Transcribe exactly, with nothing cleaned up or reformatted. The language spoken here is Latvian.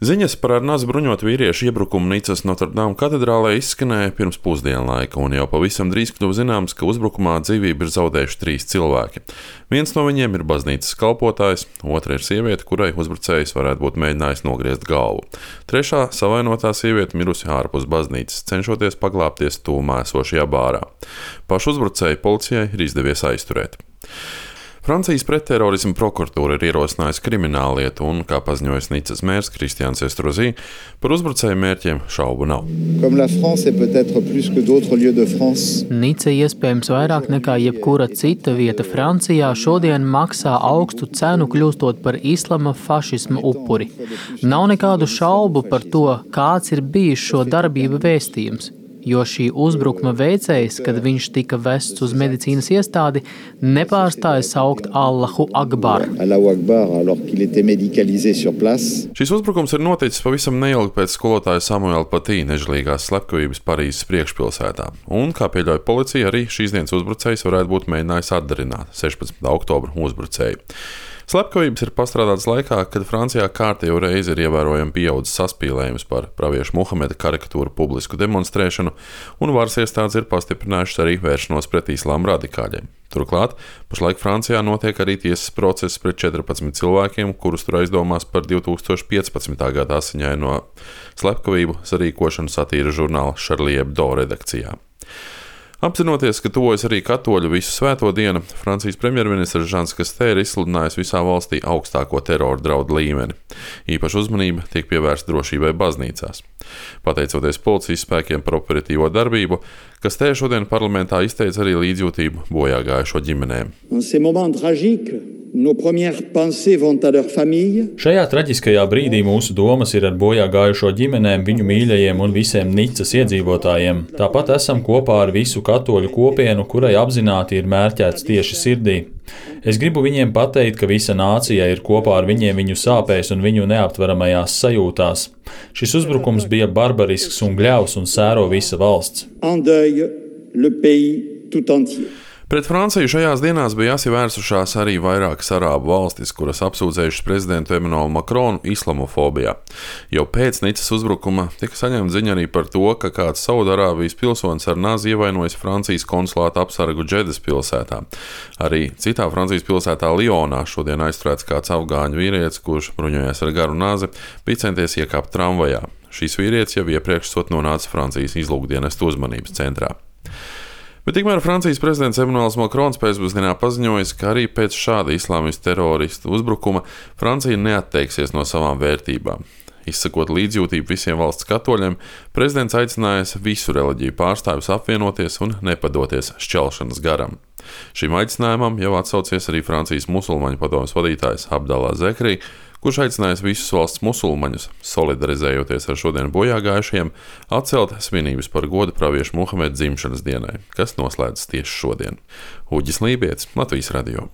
Ziņas par ar naz bruņotu vīriešu iebrukumu Nicas Notre-Dame katedrālē izskanēja pirms pusdienlaika, un jau pavisam drīz kļuva zināms, ka uzbrukumā dzīvību ir zaudējuši trīs cilvēki. Viens no viņiem ir baznīcas kalpotājs, otra ir sieviete, kurai uzbrucējs varētu būt mēģinājis nogriezt galvu. Trešā savainotā sieviete mirusi ārpus baznīcas, cenšoties paglābties tūmā esošajā bārā. Pašu uzbrucēju policijai ir izdevies aizturēt. Francijas pretterorisma prokuratūra ir ierosinājusi krimināllietu un, kā paziņojis Nicas mērs Kristians Estrosi, par uzbrucēju mērķiem šaubu nav. Nica iespējams vairāk nekā jebkura cita vieta Francijā šodien maksā augstu cenu kļūstot par islama fašisma upuri. Nav nekādu šaubu par to, kāds ir bijis šo darbību vēstījums. Jo šī uzbrukuma veicējs, kad viņš tika vests uz medicīnas iestādi, nepārstāja saukt Allahu Akbar. Šis uzbrukums ir noticis pavisam neilgi pēc skolotāja Samuela Patī nežēlīgās slepkavības Parīzes priekšpilsētā. Un, kā pieļauj policija, arī šīs dienas uzbrucējs varētu būt mēģinājis atdarināt sešpadsmitā oktobra uzbrucēju. Slepkavības ir pastrādātas laikā, kad Francijā kārtējo reizi ir ievērojami pieaudzis saspīlējums par praviešu Muhameda karikatūru publisku demonstrēšanu, un varas iestādes ir pastiprinājušas arī vēršanos pret islāma radikāļiem. Turklāt, pašlaik Francijā notiek arī tiesas process pret četrpadsmit cilvēkiem, kurus tur aizdomās par divi tūkstoši piecpadsmitā gada asiņaino slepkavību sarīkošanu satīra žurnāla Charlie Hebdo redakcijā. Apzinoties, ka tuvojas arī katoļu visu svēto dienu, Francijas premjerministrs Žans Kastē ir izsludinājis visā valstī augstāko terora draudu līmeni. Īpaša uzmanība tiek pievērsta drošībai baznīcās. Pateicoties policijas spēkiem par operatīvo darbību, Kastē šodien parlamentā izteica arī līdzjūtību bojā gājušo ģimenēm. Šajā traģiskajā brīdī mūsu domas ir ar bojā gājušo ģimenēm, viņu mīļajiem un visiem Nicas iedzīvotājiem. Tāpat esam kopā ar visu katoļu kopienu, kurai apzināti ir mērķēts tieši sirdī. Es gribu viņiem pateikt, ka visa nācija ir kopā ar viņiem viņu sāpēs un viņu neaptveramajās sajūtās. Šis uzbrukums bija barbarisks un gļavs un sēro visa valsts. Pret Franciju šajās dienās bija jāsivērsušās arī vairākas arābu valstis, kuras apsūdzējušas prezidentu Emmanuelu Macronu islamofobijā. Jau pēc Nicas uzbrukuma tika saņemta ziņa arī par to, ka kāds Saudarābijas pilsonis ar nazi ievainojis Francijas konsulāta apsargu Džedas pilsētā. Arī citā Francijas pilsētā Lionā šodien aizturēts kāds afgāņu vīrietis, kurš bruņojies ar garu nazi, bija centies iekāpt tramvajā. Šīs vīrietis jau iepriekš sot nonāca Francijas izlūkdienestu uzmanības centrā. Bet tikmēr Francijas prezidents Emmanuels Macrons pēcpusdienā paziņojis, ka arī pēc šāda islāmistu teroristu uzbrukuma Francija neatteiksies no savām vērtībām. Izsakot līdzjūtību visiem valsts katoļiem, prezidents aicinājis visu reliģiju pārstāvjus apvienoties un nepadoties šķelšanas garam. Šim aicinājumam jau atsaucies arī Francijas musulmaņu padomes vadītājs Abdallah Zekri, kurš aicinājis visus valsts musulmaņus, solidarizējoties ar šodien bojā gājušajiem, atcelt svinības par godu praviešu Muhameda dzimšanas dienai, kas noslēdzas tieši šodien. Uģis Lībietis, Latvijas radio.